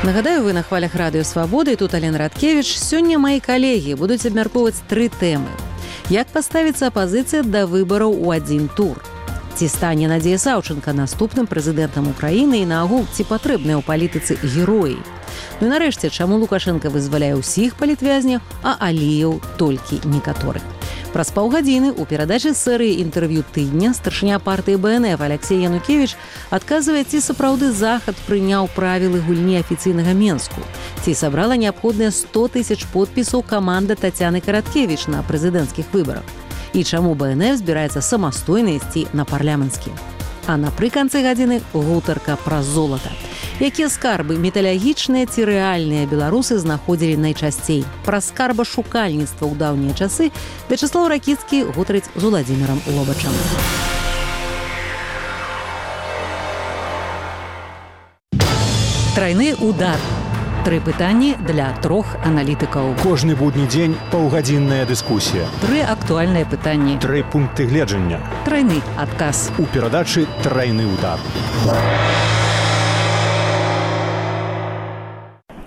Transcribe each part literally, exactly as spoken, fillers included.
Нагадаю, вы на хвалях радыё Свабода, і тут Алена Радкевіч. Сёння мои калегі будуць абмяркоўваць тры тэмы. Як паставіцца апазіцыя да выбараў у адзін тур? Ці стане Надзея Саўчанка наступным прэзідэнтам Украіны і наогул, ці патрэбныя ў палітыцы героі? Ну і нарэшце, чаму Лукашенко вызваляе ўсіх палітвязняў, а Аліеў толькі некаторых? Праз паўгадзіны ў перадачы серыі інтэрв'ю тыдня старшыня партыі бэ эн эф Алексей Янукевіч адказвае, ці сапраўды Захад прыняў правілы гульні афіцыйнага Менску, ці сабрала неабходныя сто тысяч подпісаў каманда Тацяны Караткевіч на прэзідэнцкіх выбарах, і чаму бэ эн эф збіраецца самастойна ісці на парламенцкі. А напрыканцы гадзіны гутарка пра золата. Якія скарбы, металагічныя ці рэальныя, беларусы знаходзілі найчасцей? Пра скарбашукальніцтва ў даўнія часы Вячаслаў Ракіцкі гутарыць з Уладзімірам Лобачам. Трайны удар. Тры пытанні для трох аналітыкаў. Кожны будні дзень паўгадзінная дыскусія. Тры актуальныя пытанні. Тры пункты гледжання. Трайны адказ. У перадачы «Трайны удар».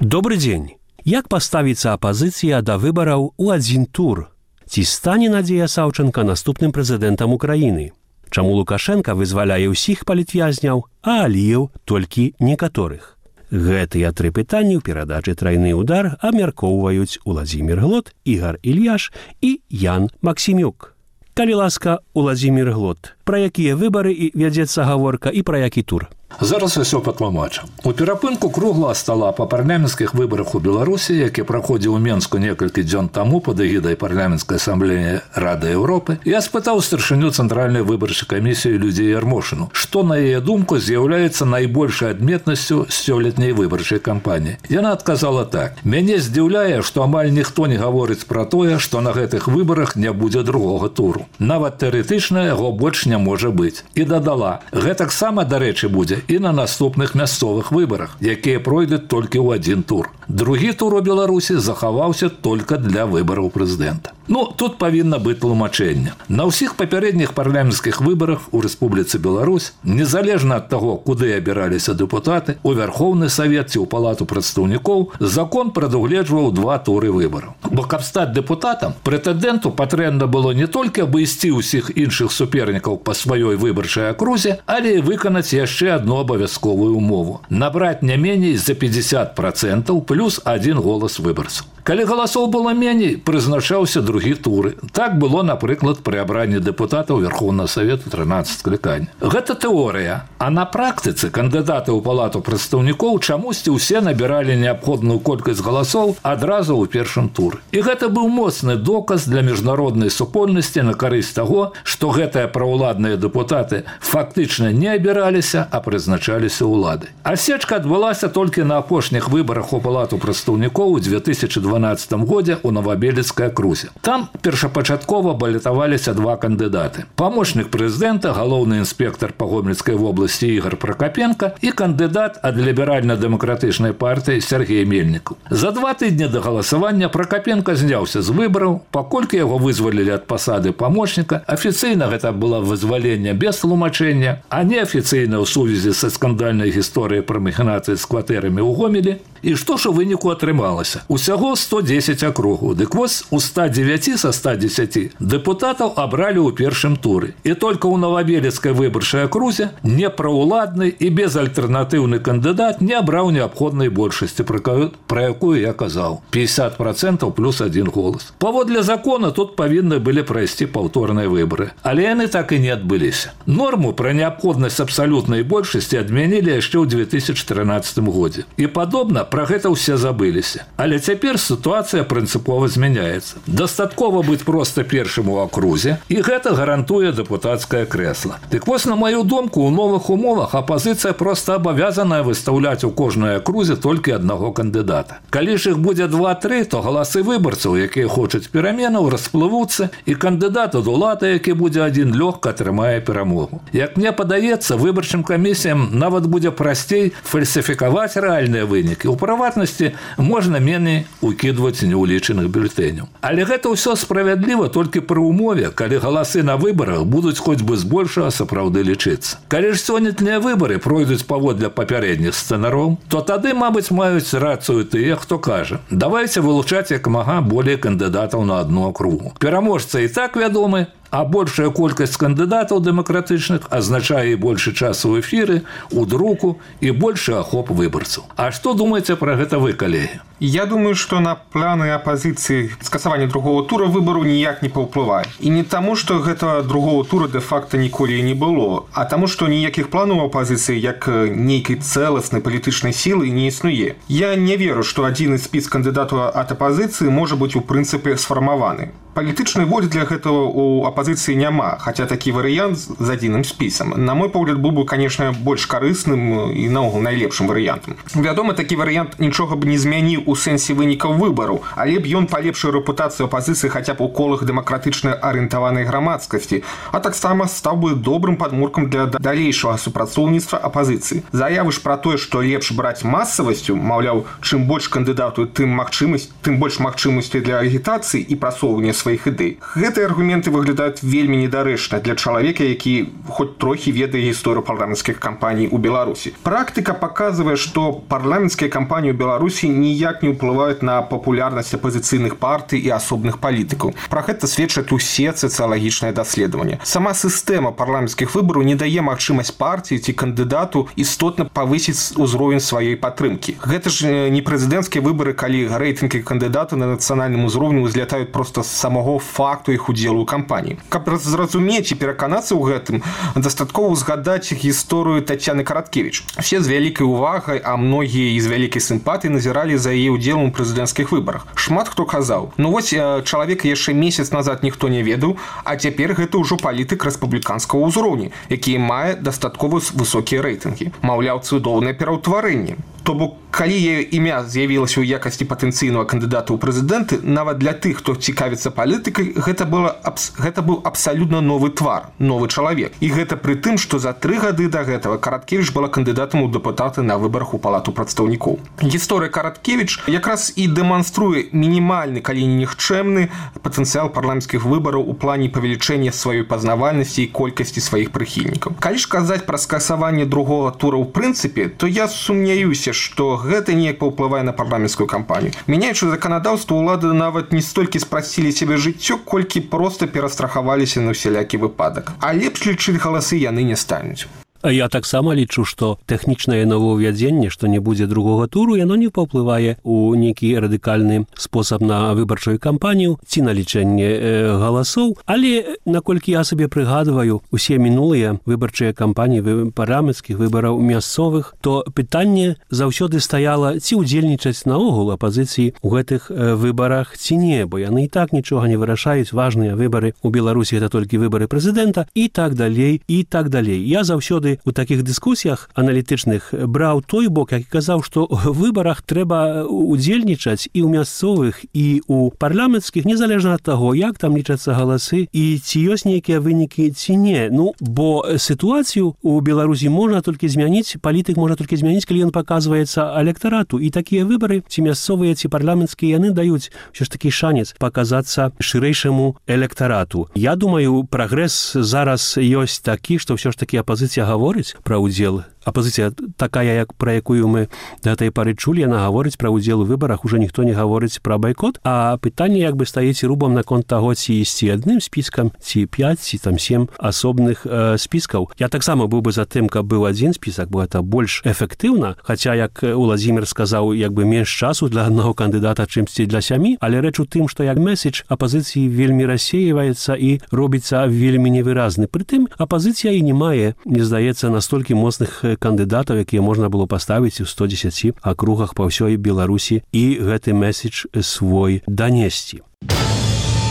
Добры дзень. Як паставіцца апазіцыя да выбараў у адзін тур? Ці стане Надзея Саўчанка наступным прэзідэнтам Украіны? Чаму Лукашенка вызваляе ўсіх палітвязняў, а Аліеў толькі некаторых? Гэтыя тры пытанні ў перадачы «Трайны удар» абмяркоўваюць Уладзімір Глот, Ігар Ільяш і Ян Максімюк. Калі ласка, Уладзімір Глот, пра якія выбары і вядзецца гаворка і пра які тур? Зараз усё патлумачу. У перапынку круглага стала па парламенцкіх выбарах у Беларусі, які праходзіў у Менску некалькі дзён таму пад эгідай парламенцкай асамблеі Рады Еўропы, я спытаў старшыню Цэнтральнай выбарчай камісіі Людзію Ярмошыну, што, на яе думку, з'яўляецца найбольшай адметнасцю сёлетняй выбарчай кампаніі. Яна адказала так: «Мяне здзіўляе, што амаль ніхто не гаворыць пра тое, што на гэтых выбарах не будзе другога туру. Нават тэарэтычна яго больш не можа быць». І дадала: «Гэтаксама, дарэчы, будзе і на наступных мясцовых выбарах, якія пройдуць толькі ў адзін тур. Другі тур у Беларусі захаваўся толькі для выбараў прэзідэнта». Ну, тут павінна быць тлумачэнне. На ўсіх папярэдніх парламенцкіх выбарах у Рэспубліцы Беларусь, незалежна ад таго, куды абіраліся дэпутаты, у Вярхоўны Савет ці ў Палату прадстаўнікоў, закон прадугледжваў два туры выбараў. Бо каб стаць дэпутатам, прэтэндэнту патрэбна было не толькі абысці ўсіх іншых супернікаў па сваёй выбарчай акрузе, але і выканаць яшчэ адну абавязковую умову – набраць не меней за пятьдесят процентов плюс один голас выбарцаў. Калі галасоў было меней, прызначаўся другі туры. Так было, напрыклад, пры абранні дэпутатаў Верхоўнага Савету трынаццаць склікань. Гэта тэорыя, а на практыцы кандыдаты ў Палату прадстаўнікоў чамусьці ўсе набіралі неабходную колькасць галасоў адразу ў першым туры. І гэта быў моцны доказ для міжнароднай супольнасці на карысць таго, што гэтыя праўладныя дэпутаты фактычна не абіраліся, а прызначаліся ўлады. Асечка адбылася толькі на апошніх выбарах у Палату прадстаўнікоў у две тысячи дванаццатым годзе ў Новабелецкай акрузе. Там першапачаткова балятаваліся два кандыдаты. Памочнік прэзідэнта, галоўны інспектар па Гомельскай вобласці Ігар Пракапенка і кандыдат ад ліберальна-дэмакратычнай партыі Сергей Мельнікаў. За два тыдні да галасавання Пракапенка зняўся з выбараў, паколькі яго вызвалілі ад пасады памочніка. Афіцыйна гэта было вызваленне без тлумачэння, а неафіцыйна ў сувязі са скандальнай гісторыяй пра махінацыі з кватэрамі ў Гомелі. І што ж у выніку атрымалася? Усяго сто дзесяць акругаў. Дык вось у ста дзевяці са ста дзесяці дэпутатаў абралі ў першым туры. І толькі ў Новабелецкай выбарчай акрузе непраўладны і безальтэрнатыўны кандыдат не абраў неабходнай большасці, пра якую я казаў. пятьдесят процентов плюс один голас. Паводле закона тут павінны былі прайсці паўторныя выбары. Але яны так і не адбыліся. Норму пра неабходнасць абсалютнай большасці адмянілі яшчэ ў две тысячи трынаццатым годзе. І падобна, пра гэта ўсе забыліся. Але цяпер сітуацыя прынцыпова змяняецца. Дастаткова быць проста першым у акрузе, і гэта гарантуе дэпутацкае крэсла. Дык вось, на маю думку, у новых умовах апазіцыя проста абавязаная выстаўляць у кожнай акрузе толькі аднаго кандыдата. Калі ж іх будзе два-тры, то галасы выбарцаў, якія хочуць пераменаў, расплывуцца, і кандыдат ад улады, які будзе адзін, лёгка атрымае перамогу. Як мне падаецца, выбарчым камісіям нават будзе прасцей фальсіфікаваць рэальныя вынікі. У прыватнасці, можна меней укідваць неўлічаных бюлетэняў. Але гэта ўсё справядліва толькі пры умове, калі галасы на выбарах будуць хоць бы збольшага сапраўды лічыцца. Калі ж сённяшнія выбары пройдуць паводле папярэдніх сцэнароў, то тады, мабыць, маюць рацыю тыя, хто кажа: давайце вылучаць як мага болей кандыдатаў на адну акругу. Пераможца і так вядомы, а большая колькасць кандыдатаў дэмакратычных азначае і большы час у эфіры, у друку і большы ахоп выбарцаў. А што думаеце пра гэта вы, калегі? Я думаю, што на планы апазіцыі скасавання другого тура выбару ніяк не паўплывае. І не таму, што гэтага другого тура дэ-факта ніколі не было, а таму, што ніякіх планаў апазіцыі як нейкай цэласнай палітычнай сілы не існуе. Я не веру, што адзіны спіс кандыдатаў ад апазіцыі можа быць у прынцыпе сфармаваны. Палітычнай волі для гэтага у апазіцыі няма, хаця такі варыянт з адзіным спісам. На мой погляд, быў бы, конечно, больш карысным і наогул найлепшым варыянтам. Вядома, такі варыянт нічога б не змяніў у сэнсе вынікаў выбараў, але б ён палепшыў рэпутацыю апазіцыі хаця б у колах дэмакратычна арыентаванай грамадскасці, а таксама стаў бы добрым падмуркам для далейшага супрацоўніцтва апазіцыі. Заявы ж пра тое, што лепш браць масавасцю, маўляў, чым больш кандыдатаў, тым магчымасць, тым больш магчымасцей для агітацыі і прасоўвання сваіх ідэй. Гэтыя аргументы выглядаюць вельмі недарэчна для чалавека, які хоць трохі ведае гісторыю парламенцкіх кампаній у Беларусі. Практыка паказвае, што парламенцкія кампаніі ў Беларусі ніяк не ўплываюць на папулярнасць апазіцыйных партый і асобных палітыкаў. Пра гэта сведчаць усе сацыялагічныя даследаванні. Сама сістэма парламенцкіх выбараў не дае магчымасць партыі ці кандыдату істотна павысіць узровень сваёй падтрымкі. Гэта ж не прэзідэнцкія выбары, калі рэйтынгі кандыдата на нацыянальным узроўні ўзлятаюць проста з самого факту іх удзелу ў кампаніі. Каб зразумець і пераканацца ў гэтым, дастаткова згадаць гісторыю Тацяны Караткевіч. Все з вялікай увагай, а многія і з вялікай сімпатыяй назіралі за яе ўдзелам у прэзідэнцкіх выбарах. Шмат хто казаў: ну вось чалавека яшчэ месяц назад ніхто не ведаў, а цяпер гэта ўжо палітык рэспубліканскага ўзроўня, які мае дастаткова высокія рэйтынгі. Маўляў, цудоўнае пераўтварэнне. То бок, калі яе імя з'явілася ў якасці патэнцыйнага кандыдата ў прэзідэнты, нават для тых, хто цікавіцца палітыкай, гэта, было, гэта быў абсалютна новы твар, новы чалавек. І гэта пры тым, што за тры гады да гэтага Караткевіч была кандыдатам у дэпутаты на выбарах у палату прадстаўнікоў. Гісторыя Караткевіч якраз і дэманструе мінімальны, калі не нікчэмны патэнцыял парламенцкіх выбараў у плане павелічэння сваёй пазнавальнасці і колькасці сваіх прыхільнікаў. Калі ж казаць пра скасаванне другога тура ў прынцыпе, то я сумняюся, што гэта неяк паўплывае на парламенцкую кампанію. Мяняючы заканадаўства, улады нават не столькі спрасцілі сябе жыццё, колькі проста перастрахаваліся на ўсялякі выпадак. А лепш лічыць галасы яны не стануць. Я таксама лічу, што тэхнічнае новаўвядзенне, што не будзе другога туру, яно не паўплывае ў нейкі радыкальны спосаб на выбарчую кампанію ці на лічэнне э, галасоў. Але, наколькі я сабе прыгадваю усе мінулыя выбарчыя кампаніі вы, парламенцкіх выбараў мясцовых, то пытанне заўсёды стаяла, ці ўдзельнічаць наогул апазіцыі ў гэтых э, выбарах ці не, бо яны і так нічога не вырашаюць. Важныя выбары ў Беларусі — гэта толькі выбары прэзідэнта і так далей, і так далей. Я заўсёды у такіх дыскусіях аналітычных браў той бок, які казаў, што ў выбарах трэба удзельнічаць і ў мясцовых, і ў парламенцкіх, незалежна ад таго, як там лічацца галасы і ці ёсць нейкія вынікі ці не. Ну, бо сітуацыю ў Беларусі можна толькі змяніць, палітык можна толькі змяніць, калі ён паказваецца электарату. І такія выбары, ці мясцовыя, ці парламенцкія, яны даюць ўсё ж такі шанец паказацца шырэйшаму электарату. Я думаю, прагрэс зараз ёсць такі, што ўсё ж такі апазіцыя гаворыць пра ўдзел. Апазіцыя такая, як пра якую мы да гэтай пары чулі, яна гаворыць пра ўдзел у выбарах, уже ніхто не гаворыць пра байкот, а пытанне як бы стаіць рубам наконт таго, ці ісці адным спіскам, ці пяць, ці там сем асобных э, спіскаў. Я таксама быў бы за тым, каб быў адзін спісак, бо гэта больш эфектыўна, хаця, як Уладзімір сказаў, як бы менш часу для аднаго кандыдата, чымсьці для сямі, але рэч у тым, што як меседж апазіцыі вельмі рассеиваецца і робіцца вельмі невыразны. Прытым апазіцыя і не мае, мне здаецца, настолькі моцных кандыдатаў, якія можна было паставіць у сто дзесяці акругах па ўсёй Беларусі і гэты меседж свой данесці.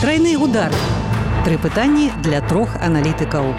Трайны удар. Тры пытанні для трох аналітыкаў.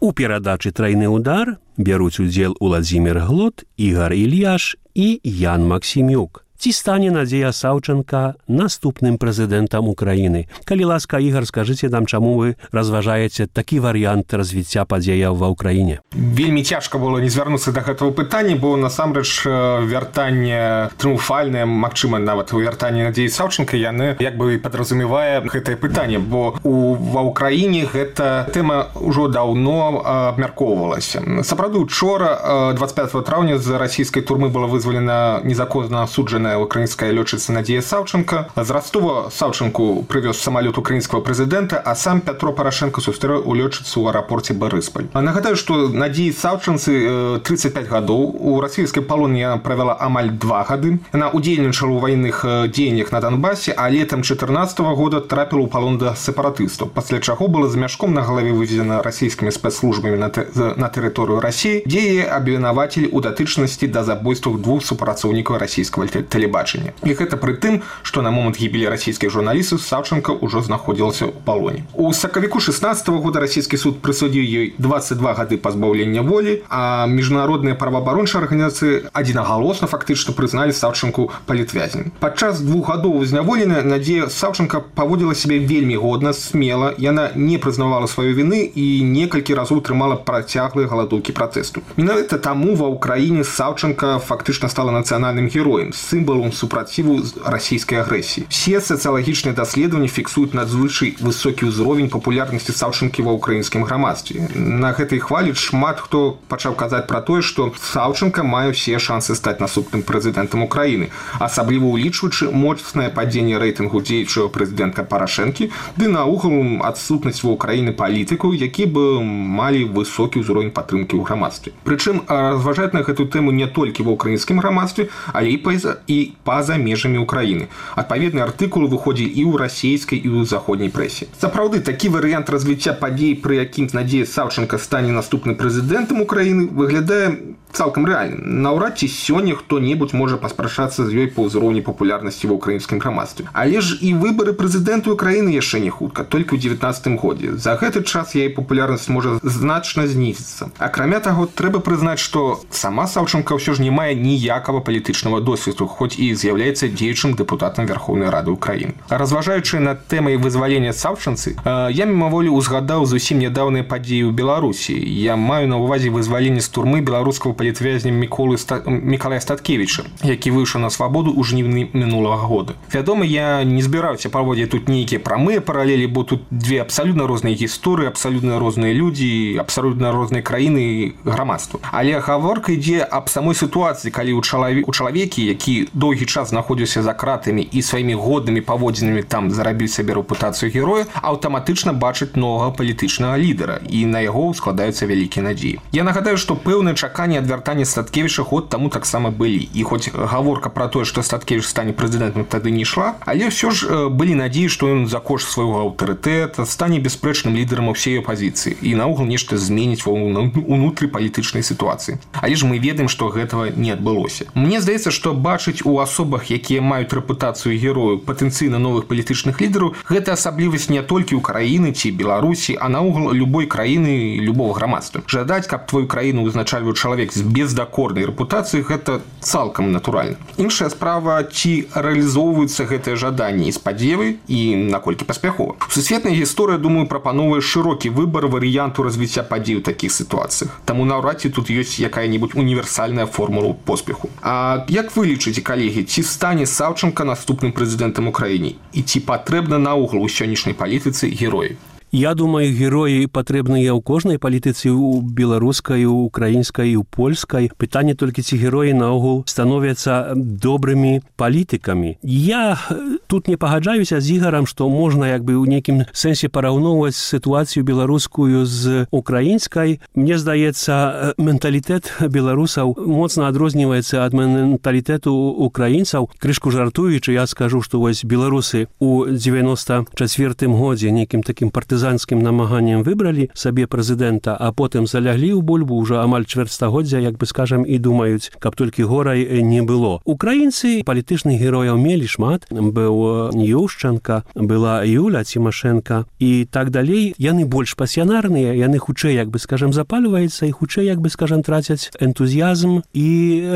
У перадачы «Трайны удар» бяруць удзел Уладзімір Глот, Ігар Ільяш і Ян Максімюк. ці стане Надзея Саўчанка наступным прэзідэнтам Украіны. Калі ласка, Ігар, скажыце нам, чаму вы разважаеце такі варыянт развіцця падзеяў ва ўкраіне? Вельмі цяжка было не звярнуцца да гэтага пытання, бо насамрэч вяртанне трыумфальнае, магчыма, нават вяртанне Надзеі Саўчанка, яны як бы падразумевае гэтае пытанне, бо у, ва ўкраіне гэта тэма ўжо даўно абмяркоўвалася. Сапраўды, учора, двадцать пятого траўня, з расійскай турмы была вызвалена незаконна асуджаная украінская лётчыца Надзея Саўчанка. З Ростова Саўчанку прывёз самалёт украінскага прэзідэнта, а сам Пятро Парашенко сустрэў у лётчыцу ў аэрапорце Барысполь. Нагадаю, што Надзеі Саўчанцы тридцать пять гадоў. У расійскай палоне яна правяла амаль два гады. Яна удзельнічала ў ваенных дзеяннях на Донбасе, а летам чатырнаццатага года трапіла ў палон да сепаратыстаў, пасля чаго была з мяшком на галаве вывезена расійскімі спецслужбамі на, тэ... на тэрыторыю Расіі, дзе яе абвінавацілі ў датычнасці да забойстваў двух супрацоўнікаў расійскага тэлебачання. І гэта пры тым, што на момант гібелі расійскіх журналістаў Саўчанка ўжо знаходзілася ў палоне. У сакавіку шестнаццатага года расійскі суд прысудзіў ёй двадцать два гады пазбаўлення волі, а міжнародныя праваабарончыя арганізацыі адзінагалосна фактычна прызналі Саўчанку палітвязнем. Падчас двух гадоў зняволення Надзея Саўчанка паводзіла сябе вельмі годна, смела, яна не прызнавала сваёй віны і некалькі разоў трымала працяглыя галадоўкі пратэсту. Менавіта таму ва ўкраіне Саўчанка фактычна стала нацыянальным героем, сімвалам супраціву расійскай агрэсіі. Все сацыялагічныя даследаванні фіксуюць надзвычай высокі ўзровень папулярнасці Саўчанкі ва ўкраінскім грамадстве. На гэтай хвалі шмат хто пачаў казаць пра тое, што Саўчанка мае ўсе шансы стаць наступным прэзідэнтам Украіны, асабліва ўлічваючы моцнае падзенне рэйтынгу дзеючага прэзідэнта Парашэнкі ды наогул адсутнасць ва ўкраіны палітыкаў, які бы малі высокі ўзровень падтрымкі ў грамадстве. Прычым разважаць на гэту тэму не толькі ва ўкраінскім грамадстве, але і па-за і па-за межамі Украіны. Адпаведныя артыкулы выходзілі і ў расійскай, і ў заходняй прэсе. Сапраўды, такі варыянт развіцця падзей, пры якім Надзея Саўчанка стане наступным прэзідэнтам Украіны, выглядае цалкам рэальным. Наўрад ці сёння хто-небудзь можа паспрачацца з ёй па ўзроўні папулярнасці ва ўкраінскім грамадстве. Але ж і выбары прэзідэнта Украіны яшчэ не хутка, толькі ў дзевятнаццатым годзе. За гэты час яе папулярнасць можа значна знізіцца. Акрамя таго, трэба прызнаць, што сама Саўчанка ўсё ж не мае ніякага палітычнага досведу, хоць і з'яўляецца дзеючым дэпутатам Верховнай Рады Украіны. Разважаючы над тэмай вызвалення Саўчанцы, я мімаволі узгадаў зусім нядаўныя падзеі ў Беларусі. Я маю на ўвазе вызваленне з турмы беларускага палітвязня Міколы Ста... Мікалая Статкевіча, які выйшаў на свабоду ў жніўні мінулага года. Вядома, я не збіраюся праводзіць тут нейкія прамыя паралелі, бо тут две абсалютна розныя гісторыі, абсалютна розныя людзі, абсалютна розныя краіны і грамадства. Але гаворка ідзе аб самой сітуацыі, калі ў чалаве... у чалавекі, які доўгі час знаходзіўся за кратамі і сваімі годнымі паводзінамі там зарабіў сабе рэпутацыю героя, аўтаматычна бачыць новага палітычнага лідара, і на яго складаюцца вялікія надзеі. Я нагадаю, што пэўныя чаканні ад вяртання Статкевіча год таму таксама былі. І хоць гаворка пра тое, што Статкевіч стане прэзідэнтам, тады не ішла, але ўсё ж былі надзеі, што ён за кошт свайго аўтарытэта стане бясспрэчным лідарам усей апазіцыі і наогул нешта зменіць ва ўнутры палітычнай сітуацыі. Але ж мы ведаем, што гэтага не адбылося. Мне здаецца, што бачыць у асобах, якія маюць рэпутацыю герою, патэнцыйна новых палітычных лідараў, гэта асаблівасць не толькі ўкраіны ці Беларусі, а наогул любой краіны, любого грамадства. Жадаць, каб твою краіну узначальваў чалавек з бездакорнай рэпутацыяй, гэта цалкам натуральна. Іншая справа, ці рэалізоўваюцца гэтыя жаданні і спадзевы і наколькі паспяхова. Сусветная гісторыя, думаю, прапановвае шырокі выбар варыянту развіцця падзей у такіх сітуацыях. Таму наўрад ці тут ёсць якая-небудзь універсальная формула поспеху. А як вы лічыце, калегі, ці стане Саўчанка наступным прэзідэнтам Украіны? І ці патрэбна наогул у сённяшняй палітыцы героі? Я думаю, героі патрэбныя ў кожнай палітыцы, у беларускай, у украінскай, у польскай. Пытанне толькі, ці героі наогул становяцца добрымі палітыкамі. Я тут не пагаджаюся з Ігарам, што можна як бы ў нейкім сэнсе параўноўваць сітуацыю беларускую з украінскай. Мне здаецца, менталітэт беларусаў моцна адрозніваецца ад менталітэту украінцаў. Крышку жартуючы, я скажу, што вось беларусы ў дзевяноста чацвёртым годзе нейкім такім партызанскім партызанскім намаганнем выбралі сабе прэзідэнта, а потым заляглі ў бульбу ўжо амаль чвэрцьстагоддзя, як бы скажам, і думаюць, каб толькі горай не было. Украінцы палітычных герояў мелі шмат. Быў Ющенка, была Юля Цімашенка і так далей. Яны больш пасіянарныя, яны хутчэй, як бы скажам, запальваюцца і хутчэй, як бы скажам, трацяць энтузіязм і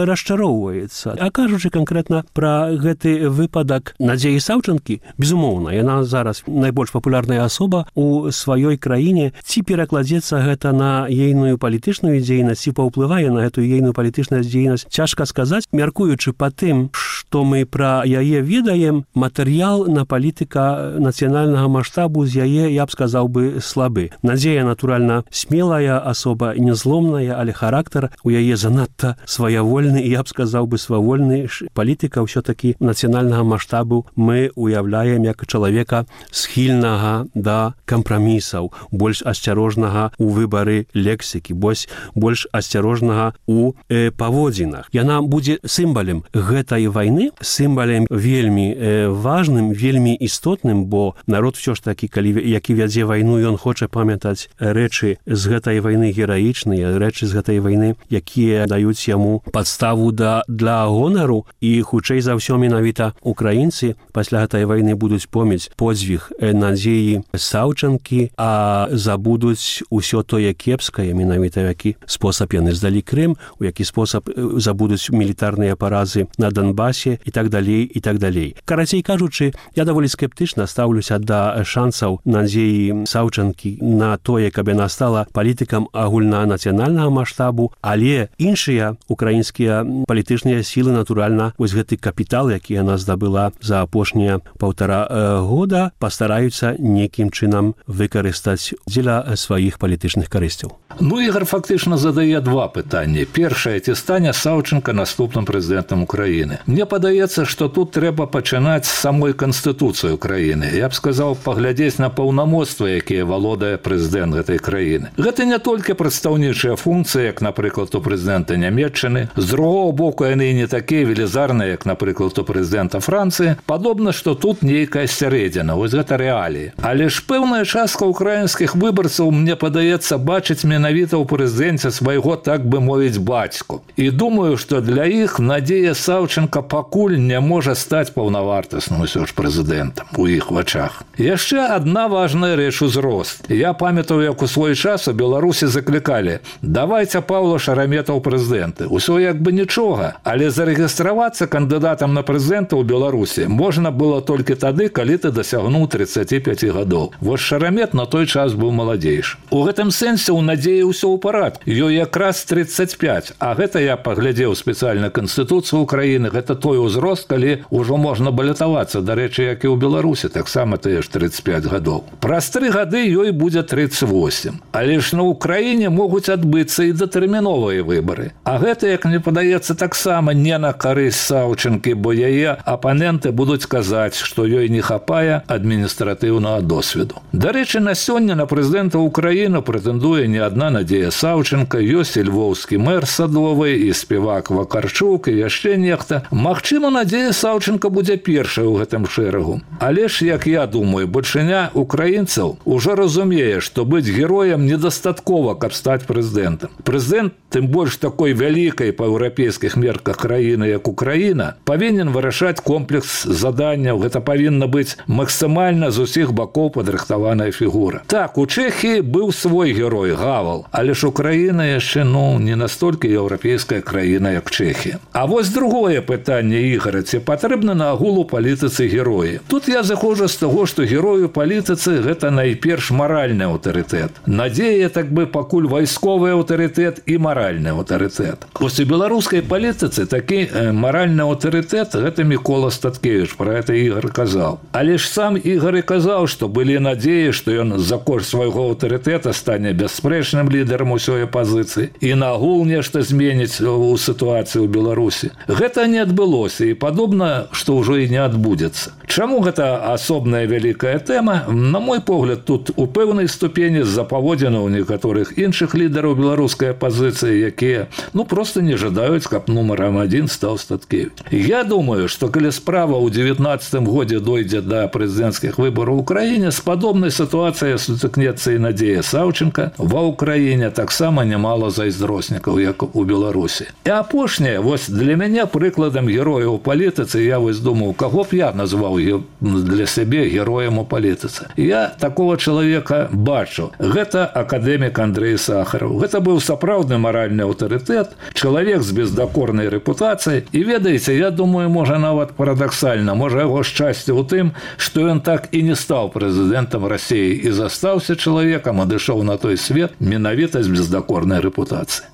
расчароўваецца. А кажучы канкрэтна пра гэты выпадак Надзеі Саўчанкі, безумоўна, яна зараз найбольш папулярная асоба у сваёй краіне. Ці перакладзецца гэта на ейную палітычную дзейнасць, ці паўплывае на гэтую ейную палітычную дзейнасць, цяжка сказаць. Мяркуючы па тым, што мы пра яе ведаем, матэрыял на палітыка нацыянальнага маштабу з яе, я б сказаў бы, слабы. Надзея, натуральна, смелая асоба, незломная, але характар у яе занадта сваявольны, і я б сказаў бы, свавольны. Палітыка ўсё-такі нацыянальнага маштабу мы уяўляем як чалавека схільнага да кампрамісаў, больш асцярожнага ў выбары лексікі, больш, больш асцярожнага ў э, паводзінах. Яна будзе сімвалем гэтай вайны, сімвалем вельмі э, важным, вельмі істотным, бо народ ўсё ж такі, калі, які вядзе вайну, ён хоча памятаць рэчы з гэтай вайны гераічныя, рэчы з гэтай вайны, якія даюць яму падставу да, для гонару, і хутчэй за ўсё менавіта украінцы пасля гэтай вайны будуць помніць подзвіг Надзеі Саўчанкі, а забудуць усё тое кепскае, менавіта які спосаб яны здалі Крым, у які спосаб забудуць мілітарныя паразы на Донбасе і так далей, і так далей. Карацей кажучы, я даволі скептычна стаўлюся да шансаў Надзеі Саўчанкі на тое, каб яна стала палітыкам агульнанацыянальнага маштабу, але іншыя украінскія палітычныя сілы, натуральна, вось гэты капітал, які яна здабыла за апошнія паўтара э, года, пастараюцца некім чынам выкарыстаць дзеля сваіх палітычных карысцяў. Ну, Ігор фактычна задае два пытанні. Першае, ці стане Саўчанка наступным прэзідэнтам Украіны. Мне падаецца, што тут трэба пачынаць з самой Канстытуцыі Украіны. Я б сказаў, паглядзець на паўнамоцтвы, якія валодае прэзідэнт гэтай краіны. Гэта не толькі прадстаўнічыя функцыі, як, напрыклад, у прэзідэнта Нямецчыны. З другого боку, яны не такія велізарныя, як, напрыклад, у прэзідэнта Францыі. Падобна, што тут нейкая сярэдзіна. Вось гэта рэаліі. Але ж пэўная частка украінскіх выбарцаў, мне падаецца, бачыць менавіта ў прэзідэнце свайго, так бы мовіць, бацьку. І думаю, што для іх Надзея Саўчанка пакуль не можа стаць паўнавартасным усё ж прэзідэнтам у іх вачах. Яшчэ адна важная рэч — узрост. Я памятаю, як у свой час у Беларусі заклікалі: давайце Паўла Шарамета ў прэзідэнты. Усё як бы нічога, але зарэгістравацца кандыдатам на прэзідэнта ў Беларусі можна было толькі тады, калі ты дасягнуў тридцати пяти гадоў. Вось Шарамет на той час быў маладзейшы. У гэтым сэнсе у Надзеі ўсё ў парадку. Ёй якраз тридцать пять, а гэта я паглядзеў спецыяльна Канстытуцыю Украіны, гэта той узрост, калі ўжо можна балятавацца, дарэчы, як і ў Беларусі, таксама тыя ж тридцать пять гадоў. Праз тры гады ёй будзе тридцать восемь. Але ж на Украіне могуць адбыцца і датэрміновыя выбары. А гэта, як мне падаецца, таксама не на карысць Саўчанкі, бо яе апаненты будуць казаць, што ёй не хапае адміністратыўнага досведу. Дарэчы, на сёння на прэзідэнта Украіны прэтэндуе не адна Надзея Саўчанка, ёсць і львоўскі мэр Садовы, і спевак Вакарчук, і яшчэ нехта. Магчыма, Надзея Саўчанка будзе першай у гэтым шэрагу. Але ж, як я думаю, большыня украінцаў ужо разумее, што быць героем недастаткова, каб стаць прэзідэнтам. Прэзідэнт, тым больш такой вялікай па еўрапейскіх мерках краіны, як Украіна, павінен вырашаць комплекс заданняў. Гэта павінна быць максімальна з усіх бакоў падрыхтаваная фігура. Так, у Чэхіі быў свой герой Гавал, але ж Украіна яшчэ, ну, не настолькі еўрапейская краіна, як Чэхія. А вось другое пытанне, Ігора, ці патрэбна на агул у палітыцы героі. Тут я заходжу з таго, што герой у палітыцы — гэта найперш маральны аўтарытэт. Надзея, так бы, пакуль вайсковы аўтарытэт і маральны аўтарытэт. Вось у беларускай палітыцы такі э, маральны аўтарытэт — гэта Мікола Статкевіч, пра гэта Ігор казаў. Але ж сам Ігор і казаў, што былі надзеі, што ён за кошт свайго аўтарытэта стане бясспрэчным лідарам усёй апазіцыі і на агул нешта зменіць у сітуацыі ў Беларусі. Гэта не адбылося, і падобна, што ўжо і не адбудзецца. Чаму гэта асобная вялікая тэма? На мой погляд, тут у пэўнай ступені з-за паводзінаў некаторых іншых лідараў беларускай апазіцыі, якія, ну, проста не жадаюць, каб нумарам адзін стаў Статкевіч. Я думаю, што калі справа ў девятнаццатым годзе дойдзе да прэзідэнцкіх выбараў у краіне, з падобнай падобнай сітуацыі сутыкнецца і Надзея Саўчынка. Ва ўкраіне таксама нямала зайздроснікаў, як у Беларусі. І апошняе, вось для мяне прыкладам героя ў палітыцы, я вось думаў, каго б я назваў для сябе героем у палітыцы. Я такого чалавека бачу. Гэта акадэмік Андрэй Сахараў. Гэта быў сапраўдны маральны аўтарытэт, чалавек з бездакорнай рэпутацыяй. І ведаеце, я думаю, можа нават парадаксальна, можа яго шчасце ў тым, што ён так і не стаў прэзідэнтам Расіі і застаўся чалавекам, адышоў на той свет менавіта з бездакорнай рэпутацыі.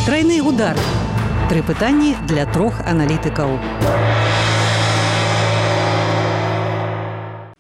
Трайны удар. Тры пытанні для трох аналітыкаў.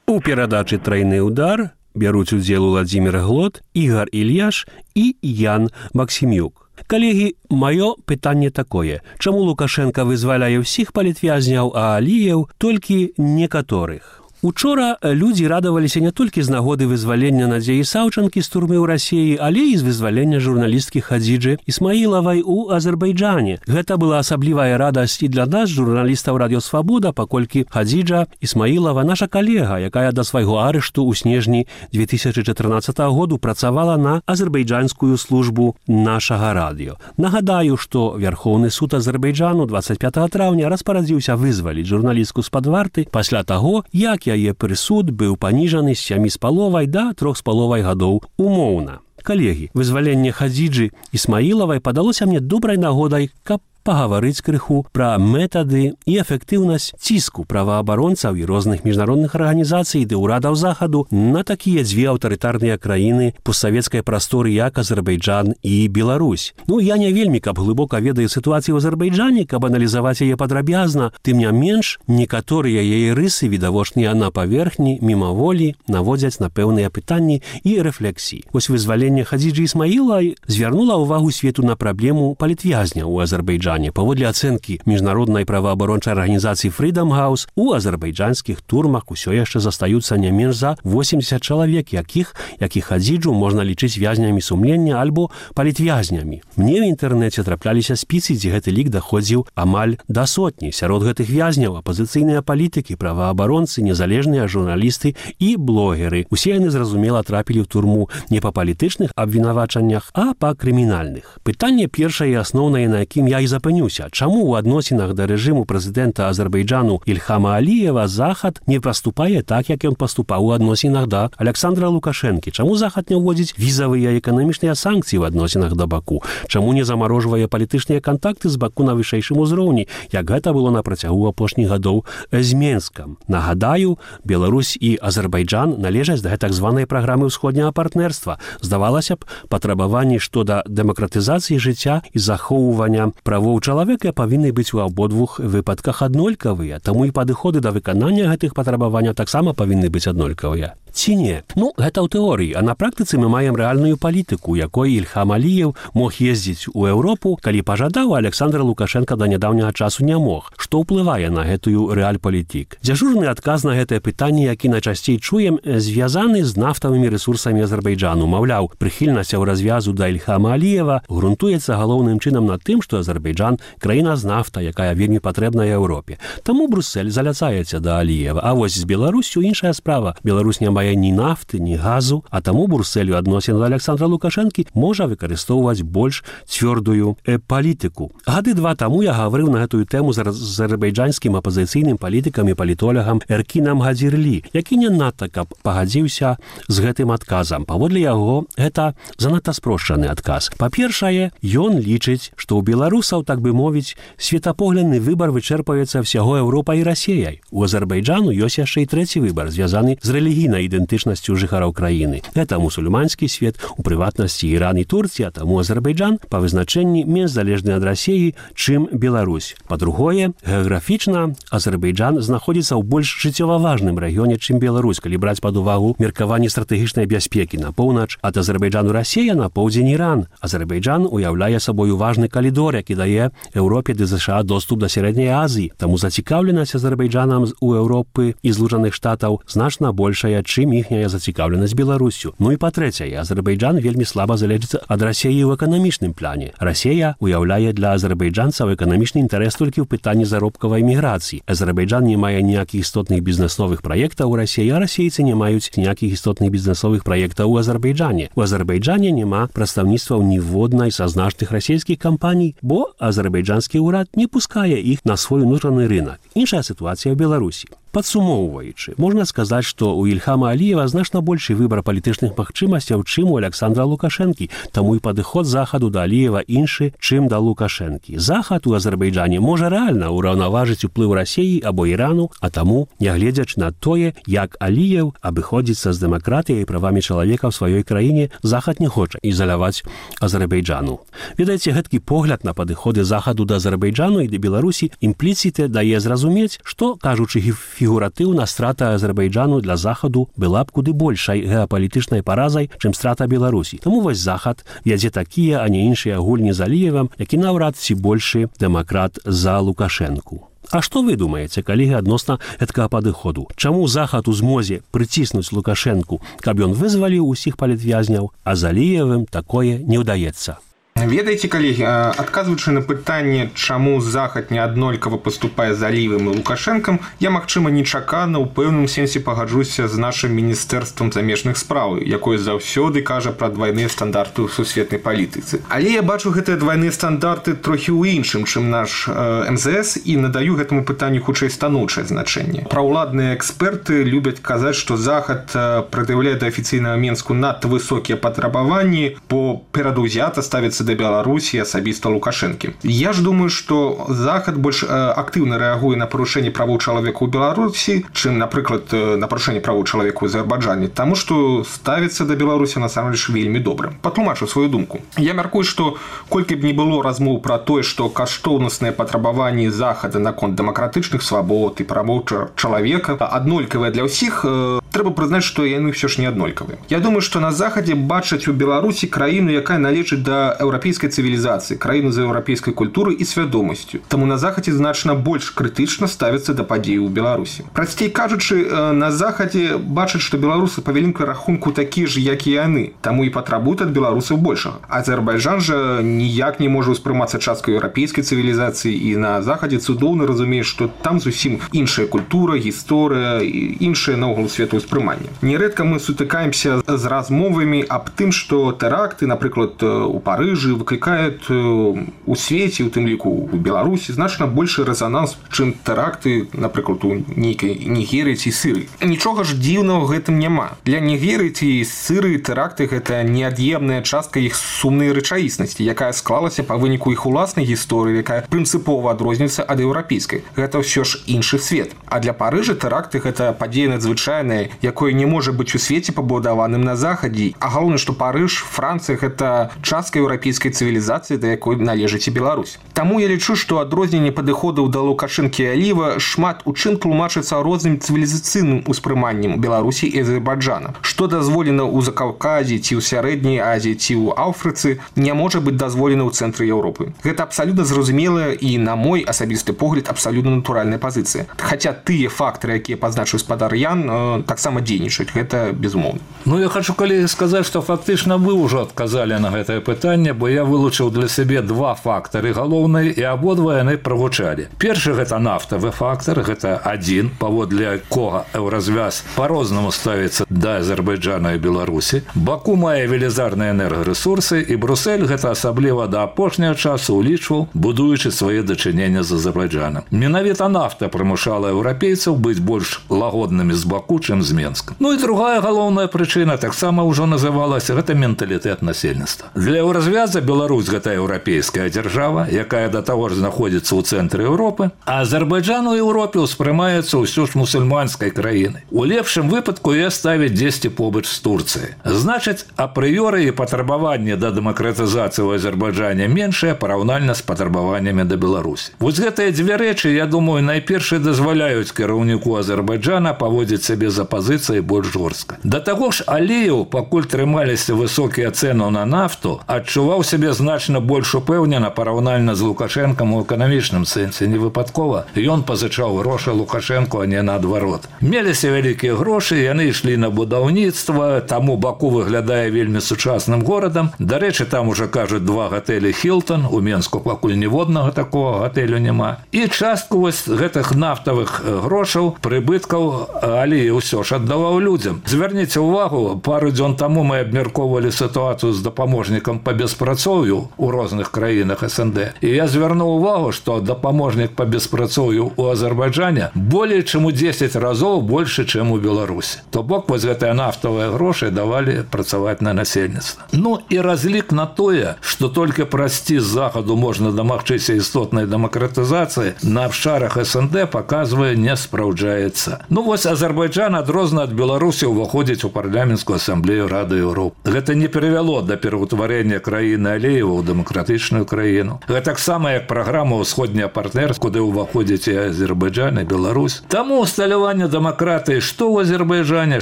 У перадачы «Трайны удар» бяруць удзел Уладзімір Глот, Ігар Ільяш і Ян Максімюк. Калегі, маё пытанне такое. Чаму Лукашенка вызваляе ўсіх палітвязняў, а Аліеў толькі некаторых? Учора людзі радаваліся не толькі з нагоды вызвалення Надзеі Саўчынкі з турмы ў Расіі, але і з вызвалення журналісткі Хадзіджы Ісмаілавай у Азербайджане. Гэта была асаблівая радасць і для нас, журналістаў Радыё Свабода, паколькі Хадзіджа Ісмаілава наша калега, якая да свайго арышту ў снежні две тысячы чатырнаццатага году працавала на азербайджанскую службу нашага радыё. Нагадаю, што Вярхоўны суд Азербайджану дваццаць пятага траўня распарадзіўся вызваліць журналістку з-пад варты пасля таго, як яе прысуд быў паніжаны з сямі з паловай да трох з паловай гадоў умоўна. Калегі, вызваленне Хадзіджы Ісмаілавай падалося мне добрай нагодай, каб пагаварыць крыху пра метады і эфектыўнасць ціску праваабаронцаў і розных міжнародных арганізацый ды ўрадаў захаду на такія дзве аўтарытарныя краіны постсавецкай прасторы, як Азербайджан і Беларусь. Ну, я не вельмі, каб глыбока ведаю сітуацыю ў Азербайджане, каб аналізаваць яе падрабязна, тым не менш, некаторыя яе рысы, відавочныя на паверхні, мімаволі, наводзяць на пэўныя пытанні і рэфлексіі. Вось вызваленне Хадзіджы Ісмаілавай звярнула ўвагу свету на праблему палітвязняў у Азербайджане. Паводле ацэнкі міжнароднай праваабарончай арганізацыі Freedom House, у азербайджанскіх турмах усё яшчэ застаюцца не менш за восемьдесят чалавек, якіх, як і Хадзіджу, можна лічыць вязнямі сумлення альбо палітвязнямі. Мне ў інтэрнэце трапляліся спісы, дзе гэты лік даходзіў амаль да сотні. Сярод гэтых вязняў апазіцыйныя палітыкі, праваабаронцы, незалежныя журналісты і блогеры. Усе яны, зразумела, трапілі ў турму не па палітычных абвінавачаннях, а па крымінальных. Пытанне першае і асноўнае, на якім я і запынюся. Чаму ў адносінах да рэжыму прэзідэнта Азербайджану Ільхама Аліева Захад не паступае так, як ён паступаў у адносінах да Александра Лукашэнкі? Чаму Захад не ўводзіць візавыя эканамічныя санкцыі ў адносінах да Баку? Чаму не замарожвае палітычныя кантакты з Баку на вышэйшым узроўні, як гэта было на працягу апошніх гадоў з Менскам? Нагадаю, Беларусь і Азербайджан належаць да гэтак званай праграмы ўсходняга партнерства. Здавалася б, патрабаванні што да дэмакратызацыі жыцця і захоўвання правоў чалавека павінны быць у абодвух выпадках аднолькавыя, таму і падыходы да выканання гэтых патрабаванняў таксама павінны быць аднолькавыя. Ці не? Ну, гэта ў тэорыі, а на практыцы мы маем рэальную палітыку, якой Ільхам Аліеў мог ездзіць у Еўропу, калі пажадаў, а Александр Лукашенка да нядаўняга часу не мог. Што ўплывае на гэтую рэальпалітык? Дзяжурны адказ на гэтае пытанне, які найчасцей чуем, звязаны з нафтавымі рэсурсамі Азербайджану. Маўляў, прыхільнасць у развязу да Ільхама Аліева грунтуецца галоўным чынам на тым, што Азербайджан – краіна з нафта, якая вельмі патрэбная Еўропе. Таму Бруссель заляцаецца да Аліева. А вось з Беларусю іншая справа. Беларусь не мае ні нафты, ні газу, а таму Брусселю адносін да Александра Лукашэнкі можа выкарыстоўваць больш цвёрдую э, палітыку. Гады два таму я гаварыў на гэтую тэму з азербайджанскім апазіцыйным палітыкам і палітолягам Эркінам Гадзірлі, які не надта каб пагадзіўся з гэтым адказам. Паводле яго, гэта занадта спрошчаны адказ. Па-першае, ён лічыць, што ў беларусаў, так бы мовіць, светапоглядны выбар вычэрпаецца ўсяго Еўропай і Расіяй. У Азербайджану ёсць яшчэ і трэці выбар, звязаны з рэлігійнай ідэнтычнасцю жыхароў краіны. Гэта мусульманскі свет, у прыватнасці Іран і Турція, таму Азербайджан па вызначэнні менш залежны ад Расіі, чым Беларусь. Па-другое, геаграфічна Азербайджан знаходзіцца ў больш жыццёва важным рэгіёне, чым Беларусь, калі браць пад увагу меркаванне стратэгічнай бяспекі на поўнач ад Азербайджану Расія, на поўдзень Іран. Азербайджан уяўляе сабою важны калідор, які дае Еўропе ды ЗША доступ да сярэдняй Азіі. Таму зацікаўленасць Азербайджанам у Еўропы і Злучаных Штатаў значна большая, чым чым іхняя зацікаўленасць Беларусю. Ну і па-трэцяе, Азербайджан вельмі слаба залежыць ад Расіі ў эканамічным плане. Расія уяўляе для азербайджанцаў эканамічны інтарэс толькі ў пытанні заробкавай міграцыі. Азербайджан не мае ніякіх істотных бізнесовых праектаў у Расіі, а расейцы не маюць ніякіх істотных бізнесовых праектаў у Азербайджане. У Азербайджане няма прадстаўніцтваў ніводнай са значных расійскіх кампаній, бо азербайджанскі ўрад не пускае іх на свой унутраны рынок. Іншая сітуацыя ў Беларусі. Падсумоўваючы, можна сказаць, што ў Ільхама Аліева значна большы выбар палітычных магчымасцяў, чым у Александра Лукашэнкі, таму і падыход захаду да Аліева іншы, чым да Лукашэнкі. Захад у Азербайджане можа рэальна ўраўнаважыць уплыў Расіі або Ірану, а таму, нягледзячы на тое, як Аліеў абыходзіцца з дэмакратыяй і правамі чалавека ў сваёй краіне, захад не хоча ізаляваць Азербайджану. Ведаеце, гэткі погляд на падыходы захаду да Азербайджану і да Беларусі імпліцыте дае зразумець, што, кажучы фігуратыўна, страта Азербайджану для захаду была б куды большай геапалітычнай паразай, чым страта Беларусі. Таму вось захад вядзе такія, а не іншыя гульні з Аліевам, які наўрад ці большы дэмакрат за Лукашэнку. А што вы думаеце, калегі, адносна гэткага падыходу? Чаму захад у змозе прыціснуць Лукашэнку, каб ён вызваліў усіх палітвязняў, а з Аліевым такое не ўдаецца? Ведаеце, калегі, адказваючы на пытанне, чаму захад неаднолькава паступае з Аліевым і Лукашэнкам, я, магчыма, нечакана ў пэўным сенсе пагаджуся з нашым міністэрствам замежных спраў, якое заўсёды кажа пра двайныя стандарты ў сусветнай палітыцы. Але я бачу гэтыя двайныя стандарты трохі ў іншым, чым наш эм зэ эс, і надаю гэтаму пытанню хутчэй станоўчае значэнне. Праўладныя эксперты любяць казаць, што захад прад'яўляе да афіцыйнага Менску надта высокія патрабаванні, бо перадузята ставіцца да Беларусі, асабіста Лукашэнкі. Я ж думаю, што захад больш актыўна рэагуе на парушэнне правоў чалавека ў Беларусі, чым, напрыклад, на парушэнне правоў чалавека ў Азербайджане, таму што ставіцца да Беларусі насамрэч вельмі добра. Патлумачу сваю думку. Я мяркую, што колькі б не было размоў пра тое, што каштоўнасныя патрабаванні захада наконт дэмакратычных свабод і правоў чалавека аднолькавыя для ўсіх, трэба прызнаць, што яны ўсё ж не аднолькавыя. Я думаю, што на захадзе бачаць у Беларусі краіну, якая належыць да еўрапейскай цывілізацыі, краіну з еўрапейскай культурай і свядомасцю. Таму на захадзе значна больш крытычна ставіцца да падзей у Беларусі. Прасцей кажучы, на захадзе бачаць, што беларусы па вялікаму рахунку такія ж, як і яны, таму і патрабуюць ад беларусаў большага. Азербайджан жа ніяк не можа ўспрымацца часткай еўрапейскай цывілізацыі, і на захадзе цудоўна разумее, што там зусім іншая культура, гісторыя, іншае наогул светаўспрыманне. Нерэдка мы сутыкаемся з размовамі аб тым, што тэракты, напрыклад, у Парыжы выклікаюць у свеце, у тым ліку у Беларусі, значна большы рэзананс, чым тэракты, напрыклад, у нейкай Нігерыі ці Сырыі. Нічога ж дзіўнага ў гэтым няма. Для Нігерыі ці Сырыі тэракты – гэта неад'емная частка іх сумнай рэчаіснасці, якая склалася па выніку іх уласнай гісторыі, якая прынцыпова адрозніваецца ад еўрапейскай. Гэта ўсё ж іншы свет. А для Парыжа тэракты – гэта падзея надзвычайная, якое не можа быць у свеце пабудаваным на захадзе. А галоўнае, што Парыж, Францыя – гэта частка еўрапейскай цывілізацыі, да якой належыць і Беларусь. Таму я лічу, што адрозненне падыходаў да Лукашэнкі і Аліева шмат у чым тлумачыцца розным цывілізацыйным успрыманнем Беларусі і Азербайджана. Што дазволена ў Закаўказі ці ў Сярэдняй Азіі ці ў Афрыцы, не можа быць дазволена ў цэнтры Еўропы. Гэта абсалютна зразумелая і, на мой асабісты погляд, абсалютна натуральная пазіцыя. Хаця тыя фактары, якія пазначыў спадар Ян, таксама дзейнічаюць. Гэта безумоўна. Ну, я хочу, калегі, сказаць, што фактычна вы ўжо адказалі на гэтае пытанне, бо я вылучыў для сябе два фактары галоўныя, і абодва яны прагучалі. Першы – гэта нафтавы фактар, гэта адзін, паводле якога еўразвяз па-рознаму ставіцца да Азербайджана і Беларусі. Баку мае велізарныя энергарэсурсы, і Брусэль гэта асабліва да апошняга часу улічваў, будуючы свае дачынення з Азербайджанам. Менавіта нафта прымушала еўрапейцаў быць больш лагоднымі з Баку, чым з Менска. Ну і другая галоўная прычына таксама ўжо называлася – гэта менталітэт насельніцтва. Для еўразвяза Беларусь – гэта еўрапейская дзяржава, якая да таго ж знаходзіцца ў цэнтры Еўропы, а Азербайджан у Еўропе ўспрымаецца ўсё ж мусульманскай краінай. У лепшым выпадку я ставіць дзесьці побач з Турцыяй. Значыць, апрыёры і патрабаванні да дэмакратызацыі ў Азербайджане меншыя параўнальна з патрабаваннямі да Беларусі. Вось гэтыя дзве рэчы, я думаю, найперш дазваляюць кіраўніку Азербайджана паводзіць сябе з пазіцыі больш жорстка. Да таго ж Аліеў, пакуль трымаліся высокія цэны на нафту, адчуваў сябе значна больш упэўнена параўнальна з Лукашэнкам у эканамічным сэнсе. Не выпадкова ён пазычаў грошы Лукашэнку, а не наадварот. Меліся вялікія грошы, яны ішлі на будаўніцтва, таму Баку выглядае вельмі сучасным горадам. Дарэчы, там уже кажуць два гатэлі «Хілтон», у Менску пакуль ніводнага такого гатэлю няма. І частку вось гэтых нафтавых грошаў, прыбыткаў Аліеў ўсё ж аддаваў людзям. Звярніце ўвагу, пару дзён таму мы абмяркоўвалі сітуацыю з дапаможнікам па беспрацоўю ў розных краінах эс эн дэ. І я звярнуў увагу, што дапаможнік па беспрацоўю ў Азербайджане болей чым у дзесяць разоў больше, чым у Беларусі. То бок вось гэтыя нафтавыя грошы давалі працаваць на насельніцтва. Ну і разлік на тое, што толькі прасці з захаду можна дамагчыся істотнай дэмакратызацыі, на абшарах эс эн дэ паказвае, не спраўджаецца. Ну вось Азербайджан адрозна ад Беларусі ўваходзіць у парламенцкую асамблею Рады Еўропы. Гэта не перавяло да пераўтварэння краіны Аліева ў дэмакратычную краіну. Гэта таксама як праграма «Усходняя партнер», куды ўваходзіць і Азербайджан, і Беларусь. Таму усталяванне дэмакратыі што ў Азербайджане,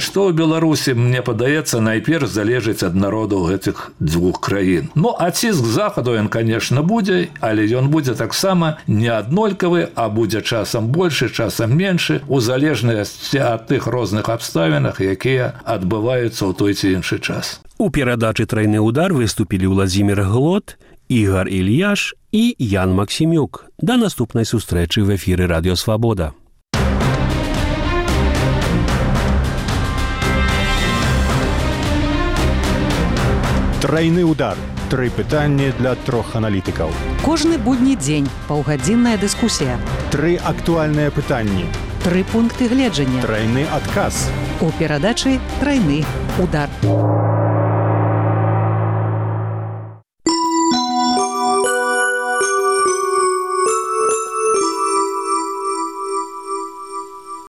што ў Беларусі, мне падаецца, найперш залежыць ад народаў гэтых дзвюх краін. Ну, а ціск захаду ён, конечно, будзе, але ён будзе таксама не аднолькавы, а будзе часам больше, часам меншы, у залежнасці ад тых розных абставінах, якія адбываюцца ў той ці іншы час. У перадачы «Трайны удар» выступілі Владзімір Глот, Ігор Ільяш і Ян Максімюк. Да наступнай сустрэчы в эфіры Радіо Свабода. Трайны удар. Тры пытанні для трох аналітыкаў. Кожны будні дзень паўгадзінная дыскусія. Тры актуальныя пытанні. Тры пункты гледжання. Трайны адказ. У перадачы «Трайны удар».